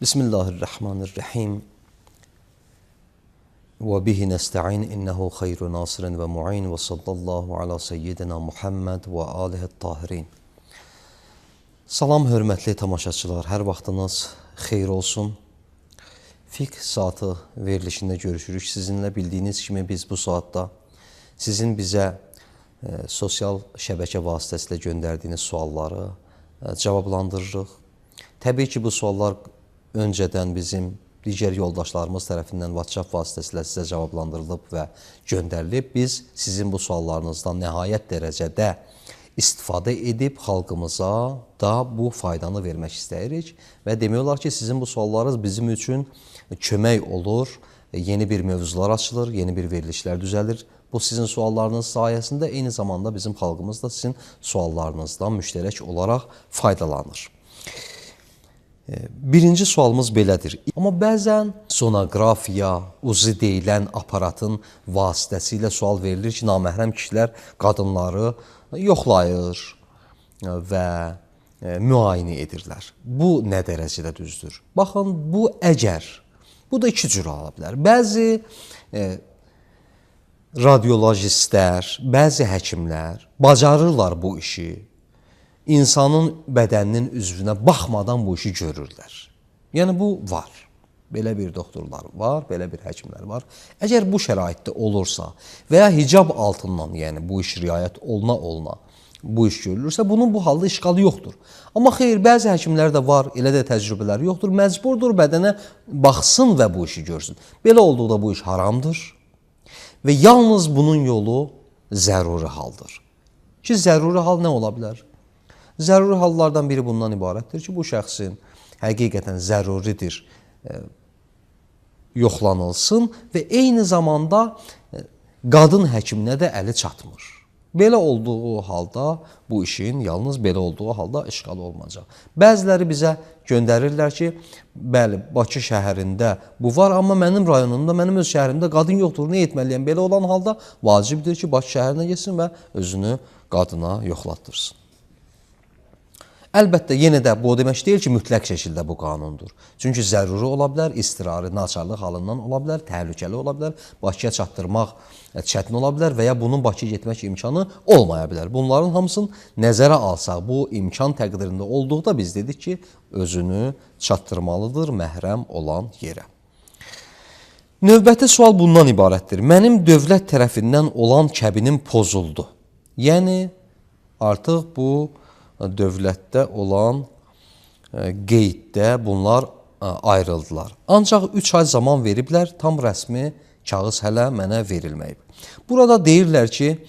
Bismillahirrahmanirrahim. Və bihi nəstə'in innehu xeyru nasirin və mu'in və sallallahu ala seyyidina Muhammed və alihi tahirin. Salam hörmətli tamaşaçılar, hər vaxtınız xeyir olsun. Fiqh saatı verilişində görüşürük sizinlə. Bildiyiniz kimi biz bu saatda sizin bizə sosial şəbəkə vasitəsilə göndərdiyiniz sualları cavablandırırıq. Təbii ki, bu suallar öncədən bizim digər yoldaşlarımız tərəfindən WhatsApp vasitəsilə sizə cavablandırılıb və göndərilib. Biz sizin bu suallarınızdan nəhayət dərəcədə istifadə edib xalqımıza da bu faydanı vermək istəyirik və demək olar ki, sizin bu suallarınız bizim üçün kömək olur. Yeni bir mövzular açılır, yeni bir verilişlər düzəlir. Bu sizin suallarınız sayəsində eyni zamanda bizim xalqımız da sizin suallarınızdan müştərək olaraq faydalanır. Birinci sualımız belədir. Amma bəzən sonografiya, uzi deyilən aparatın vasitəsilə sual verilir ki, naməhrəm kişilər qadınları yoxlayır və müayinə edirlər. Bu nə dərəcədə düzdür? Baxın, bu əgər, bu da iki cür ola bilər. Bəzi radiologistlər, bəzi həkimlər bacarırlar bu işi. İnsanın bədəninin üzvünə baxmadan bu işi görürlər. Yəni, bu var. Belə bir doktorlar var, belə bir həkimlər var. Əgər bu şəraitdə olursa və ya hicab altından, yəni bu iş riayət oluna bu iş görülürsə, bunun bu halda işğalı yoxdur. Amma xeyr, bəzi həkimlər də var, elə də təcrübələri yoxdur. Məcburdur bədənə baxsın və bu işi görsün. Belə olduqda bu iş haramdır və yalnız bunun yolu zəruri haldır. Ki, zəruri hal nə ola bilər? Zəruri hallardan biri bundan ibarətdir ki, bu şəxsin həqiqətən zəruridir yoxlanılsın və eyni zamanda qadın həkiminə də əli çatmır. Belə olduğu halda bu işin yalnız belə olduğu halda işğalı olmayacaq. Bəziləri bizə göndərirlər ki, bəli, Bakı şəhərində bu var, amma mənim rayonumda, mənim öz şəhərimdə qadın yoxdur, nə etməliyəm? Belə olan halda vacibdir ki, Bakı şəhərinə getsin və özünü qadına yoxlatdırsın. Əlbəttə, yenə də bu o demək deyil ki, mütləq şəkildə bu qanundur. Çünki zəruri ola bilər, istirari, naçarlıq halından ola bilər, təhlükəli ola bilər, Bakıya çatdırmaq çətin ola bilər və ya bunun Bakıya getmək imkanı olmaya bilər. Bunların hamısını nəzərə alsaq, bu imkan təqdirində olduqda biz dedik ki, özünü çatdırmalıdır məhrəm olan yerə. Növbəti sual bundan ibarətdir. Mənim dövlət tərəfindən olan kəbinim pozuldu. Yəni, artıq bu dövlətdə olan qeyddə bunlar ayrıldılar. Ancaq 3 ay zaman veriblər, tam rəsmi kağız hələ mənə verilməyib. Burada deyirlər ki,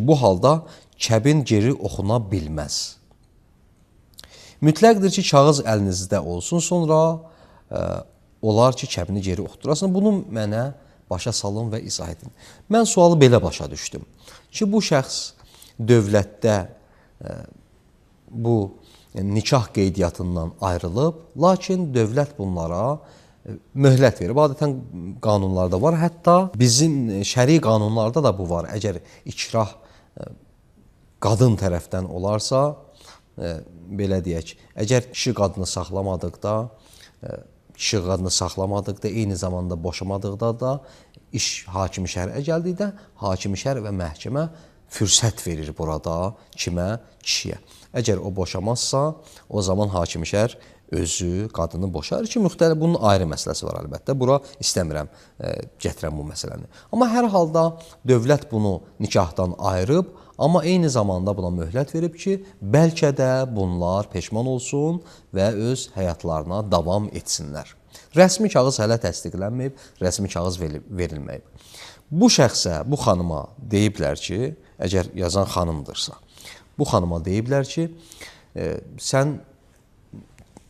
bu halda kəbin geri oxuna bilməz. Mütləqdir ki, kağız əlinizdə olsun, sonra olar ki, kəbini geri oxudurasın. Bunu mənə başa salın və izah edin. Mən sualı belə başa düşdüm ki, bu şəxs dövlətdə bu nikah qeydiyyatından ayrılıb, lakin dövlət bunlara möhlət verib. Adətən qanunlarda var, hətta bizim şəri qanunlarda da bu var. Əgər ikrah qadın tərəfdən olarsa, belə deyək, əgər kişi qadını saxlamadıqda, eyni zamanda boşamadıqda da iş hakimi şərə gəldikdə, hakimi şər və məhkəmə fürsət verir burada kimə? Kişiyə. Əgər o boşamazsa, o zaman hakimi şər özü qadını boşar ki, müxtəlif bunun ayrı məsələsi var əlbəttə. Bura istəmirəm gətirəm bu məsələni. Amma hər halda dövlət bunu nikahdan ayırıb, amma eyni zamanda buna möhlət verib ki, bəlkə də bunlar peşman olsun və öz həyatlarına davam etsinlər. Rəsmi kağız hələ təsdiqlənməyib, rəsmi kağız verilməyib. Bu şəxsə, bu xanıma deyiblər ki, əgər yazan xanımdırsa, bu xanıma deyiblər ki, sən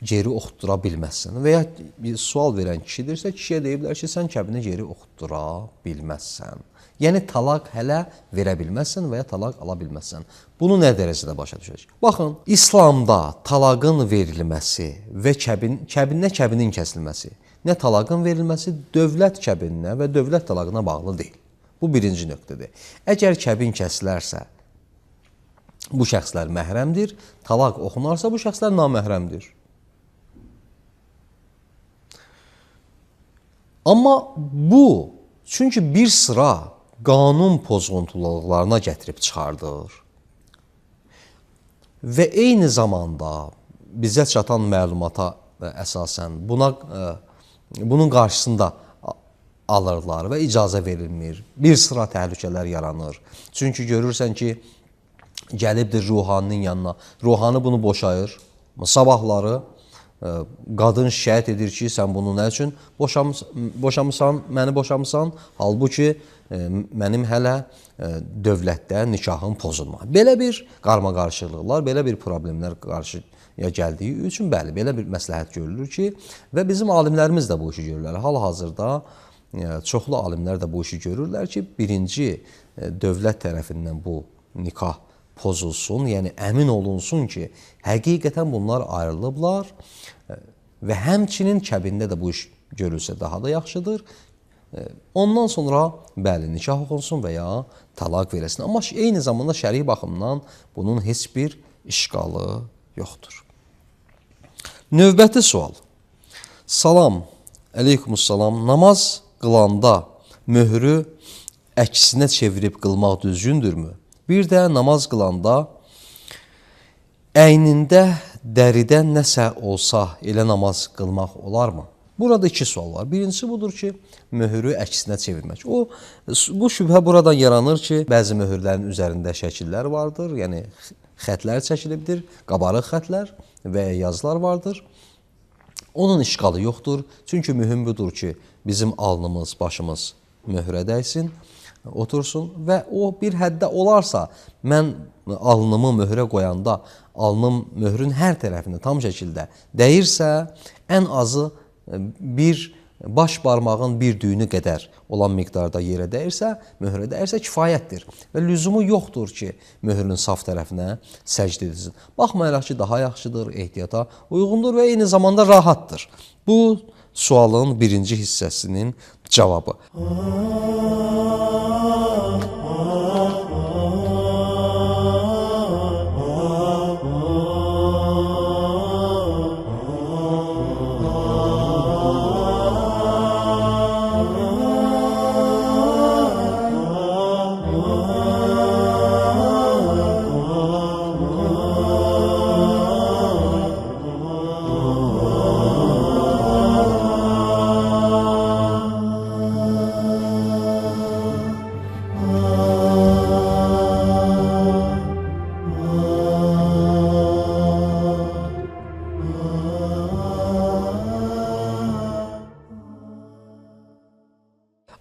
geri oxutdura bilməzsən və ya bir sual verən kişidirsə, kişiyə deyiblər ki, sən kəbini geri oxutdura bilməzsən. Yəni, talaq hələ verə bilməzsən və ya talaq ala bilməzsən. Bunu nə dərəcədə başa düşəcək? Baxın, İslamda talaqın verilməsi və kəbinin kəsilməsi, nə talaqın verilməsi dövlət kəbininə və dövlət talaqına bağlı deyil. Bu birinci nöqtədir. Əgər kəbin kəsilərsə, bu şəxslər məhrəmdir, talaq oxunarsa bu şəxslər naməhrəmdir. Amma bu, çünki bir sıra qanun pozuntularına gətirib çıxardır və eyni zamanda bizə çatan məlumata əsasən bunun qarşısında alırlar və icazə verilmir. Bir sıra təhlükələr yaranır. Çünki görürsən ki, gəlibdir ruhaninin yanına. Ruhani bunu boşayır. Sabahları qadın şikayət edir ki, sən bunu nə üçün boşamısan, məni boşamısan? Halbuki mənim hələ dövlətdə nikahım pozulma. Belə bir qarmaqarışıqlıqlar, belə bir problemlər qarşıya gəldiyi üçün, bəli, belə bir məsləhət görülür ki, və bizim alimlərimiz də bu işi görürlər. Hal-hazırda çoxlu alimlər də bu işi görürlər ki, birinci dövlət tərəfindən bu nikah pozulsun, yəni əmin olunsun ki, həqiqətən bunlar ayrılıblar və həmçinin kəbində də bu iş görülsə daha da yaxşıdır. Ondan sonra bəli, nikah oxunsun və ya talaq verilsin. Amma eyni zamanda şəri baxımdan bunun heç bir işqalı yoxdur. Növbəti sual. Salam, əleykumussalam. Namaz qılanda möhrü əksinə çevirib qılmaq düzgündürmü? Bir də namaz qılanda əynində dəridən nəsə olsa elə namaz qılmaq olarmı? Burada iki sual var. Birincisi budur ki, möhrü əksinə çevirmək. Bu şübhə buradan yaranır ki, bəzi möhürlərin üzərində şəkillər vardır, yəni xətlər çəkilibdir, qabarıq xətlər və yazılar vardır. Onun işqalı yoxdur. Çünki mühüm budur ki, bizim alnımız, başımız möhrə dəysin, otursun və o bir həddə olarsa, mən alnımı möhrə qoyanda alnım möhrün hər tərəfində tam şəkildə dəyirsə, ən azı bir baş barmağın bir düyünü qədər olan miqdarda yerə dəyirsə, möhrə dəyirsə kifayətdir və lüzumu yoxdur ki, möhrün saf tərəfinə səcd edilsin. Baxmayaraq ki, daha yaxşıdır, ehtiyata uyğundur və eyni zamanda rahatdır. Bu sualın birinci hissəsinin cavabı.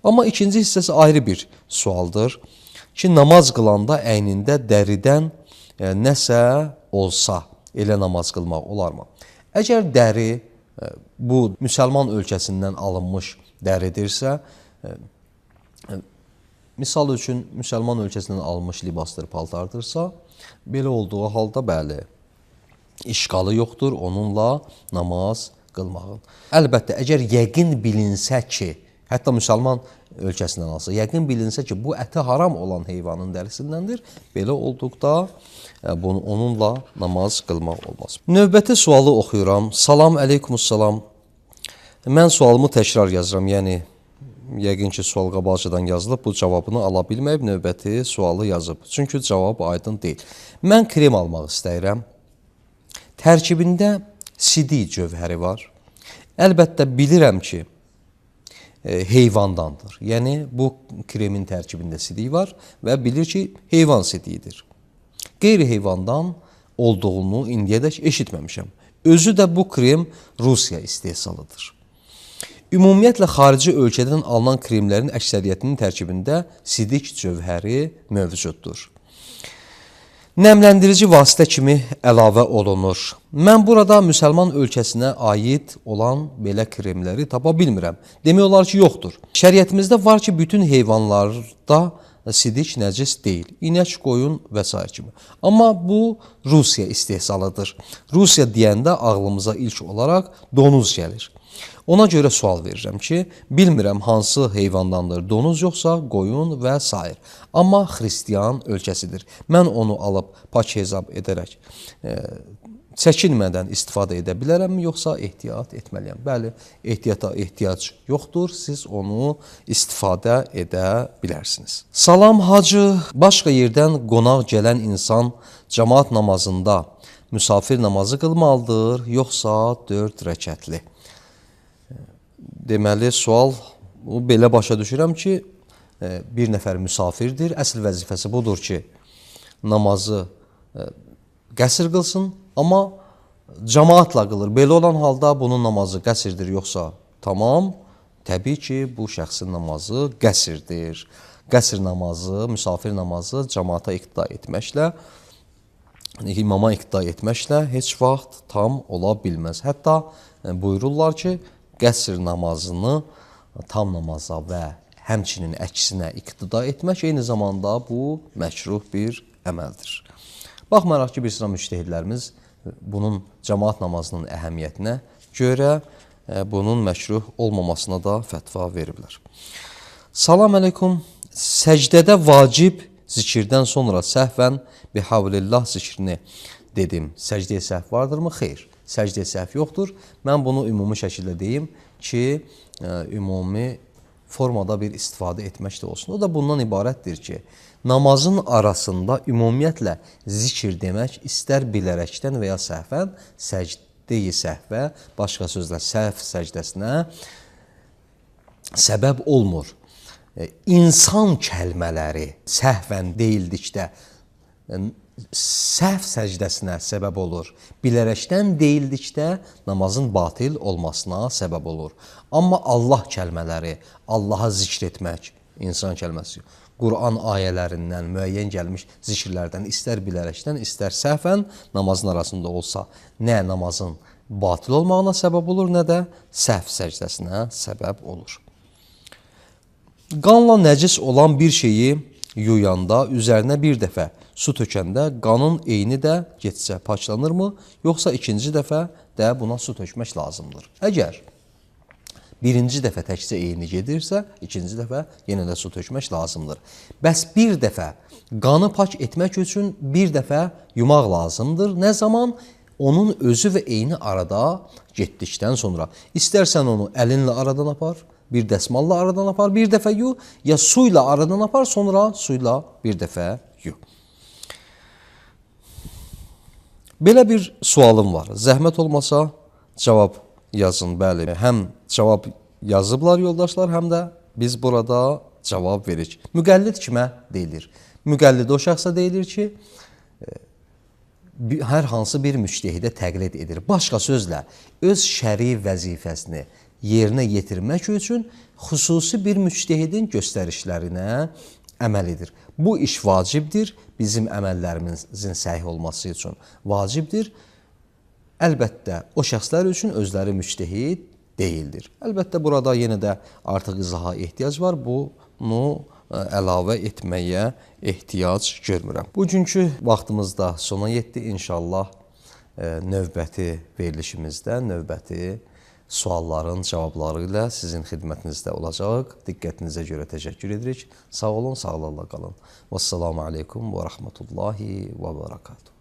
Amma ikinci hissəsi ayrı bir sualdır ki, namaz qılanda əynində dəridən nəsə olsa elə namaz qılmaq olarmı? Əgər dəri bu müsəlman ölkəsindən alınmış dəridirsə, misal üçün müsəlman ölkəsindən alınmış libasdır, paltardırsa, belə olduğu halda bəli, işqalı yoxdur onunla namaz qılmağın. Əlbəttə, əgər yəqin bilinsə ki, hətta müsəlman ölkəsindən alsa, yəqin bilinsə ki, bu əti haram olan heyvanın dərisindəndir, belə olduqda onunla namaz qılmaq olmaz. Növbəti sualı oxuyuram. Salam, əleykumussalam. Mən sualımı təkrar yazıram, yəni yəqin ki, sual qabaqcadan yazılıb, bu cavabını ala bilməyib, növbəti sualı yazıb. Çünki cavab aydın deyil. Mən krem almaq istəyirəm. Tərkibində sidik cövhəri var. Əlbəttə, bilirəm ki, heyvandandır. Yəni, bu kremin tərkibində sidik var və bilir ki, heyvan sidiyidir. Qeyri-heyvandan olduğunu indiyədək eşitməmişəm. Özü də bu krem Rusiya istehsalıdır. Ümumiyyətlə, xarici ölkədən alınan kremlərin əksəriyyətinin tərkibində sidik cövhəri mövcuddur. Nəmləndirici vasitə kimi əlavə olunur. Mən burada müsəlman ölkəsinə aid olan belə kremləri tapa bilmirəm. Demək olar ki, yoxdur. Şəriətimizdə var ki, bütün heyvanlarda sidik nəcis deyil. İnək, qoyun və s. kimi. Amma bu Rusiya istehsalıdır. Rusiya deyəndə ağlımıza ilk olaraq donuz gəlir. Ona görə sual verirəm ki, bilmirəm hansı heyvandandır, donuz yoxsa qoyun və s. Amma xristiyan ölkəsidir. Mən onu alıb pak hesab edərək çəkinmədən istifadə edə bilərəmmi, yoxsa ehtiyat etməliyəm? Bəli, ehtiyata ehtiyac yoxdur, siz onu istifadə edə bilərsiniz. Salam hacı, başqa yerdən qonaq gələn insan cəmaat namazında müsafir namazı qılmalıdır, yoxsa 4 rəkətli? Deməli, sual belə başa düşürəm ki, bir nəfər müsafirdir, əsl vəzifəsi budur ki, namazı qəsr qılsın, amma cəmaatla qılır. Belə olan halda bunun namazı qəsrdir, yoxsa tamam? Təbii ki, bu şəxsin namazı qəsrdir. Qəsr namazı, müsafir namazı cəmaata iqtida etməklə, imama iqtida etməklə heç vaxt tam ola bilməz. Hətta buyururlar ki, qəsr namazını tam namaza və həmçinin əksinə iqtida etmək eyni zamanda bu məkruh bir əməldir. Baxmayaraq ki, bir sıra müctəhidlərimiz bunun cəmaat namazının əhəmiyyətinə görə bunun məkruh olmamasına da fətva veriblər. Salam əleykum. Səcdədə vacib zikirdən sonra səhvən bihavlillah zikrini dedim. Səcdəyə səhv vardırmı? Xeyr. Səcdəyə səhv yoxdur. Mən bunu ümumi şəkildə deyim ki, ümumi formada bir istifadə etmək də olsun. O da bundan ibarətdir ki, namazın arasında ümumiyyətlə zikir demək istər bilərəkdən və ya səhvən səcdə-i səhvə, başqa sözlə səhv səcdəsinə səbəb olmur. İnsan kəlmələri səhvən deyildikdə səhv səcdəsinə səbəb olur. Bilərəkdən deyildikdə namazın batil olmasına səbəb olur. Amma Allah kəlmələri, Allaha zikr etmək, insan kəlməsi, Quran ayələrindən, müəyyən gəlmiş zikirlərdən, istər bilərəkdən, istər səhvən namazın arasında olsa, nə namazın batil olmağına səbəb olur, nə də səhv səcdəsinə səbəb olur. Qanla nəcis olan bir şeyi yuyanda, üzərinə bir dəfə su tökəndə qanın eyni də getsə paklanırmı, yoxsa ikinci dəfə də buna su tökmək lazımdır? Əgər birinci dəfə təkcə eyni gedirsə, ikinci dəfə yenə də su tökmək lazımdır. Bəs bir dəfə qanı pak etmək üçün bir dəfə yumaq lazımdır. Nə zaman? Onun özü və eyni arada getdikdən sonra. İstərsən onu əlinlə aradan apar, bir dəsmalla aradan apar, bir dəfə yu, ya suyla aradan apar, sonra suyla bir dəfə yu. Belə bir sualım var. Zəhmət olmasa cavab yazın, bəli. Həm cavab yazıblar yoldaşlar, həm də biz burada cavab veririk. Müqəllid kimə deyilir? Müqəllid o şəxsə deyilir ki, hər hansı bir müctehidə təqlid edir. Başqa sözlə, öz şəri vəzifəsini yerinə yetirmək üçün xüsusi bir müctehidin göstərişlərinə əməl edir. Bu iş vacibdir, bizim əməllərimizin səhih olması üçün vacibdir. Əlbəttə, o şəxslər üçün özləri müctehid deyildir. Əlbəttə, burada yenə də artıq izaha ehtiyac var. Bunu əlavə etməyə ehtiyac görmürəm. Bugünkü vaxtımız da sona yetdi. İnşallah növbəti verilişimizdə, növbəti sualların cavabları ilə sizin xidmətinizdə olacaq. Diqqətinizə görə təşəkkür edirik. Sağ olun, sağlıqla qalın. Vəssalamu aleykum və rəhmətullahi və bərəkatuhu.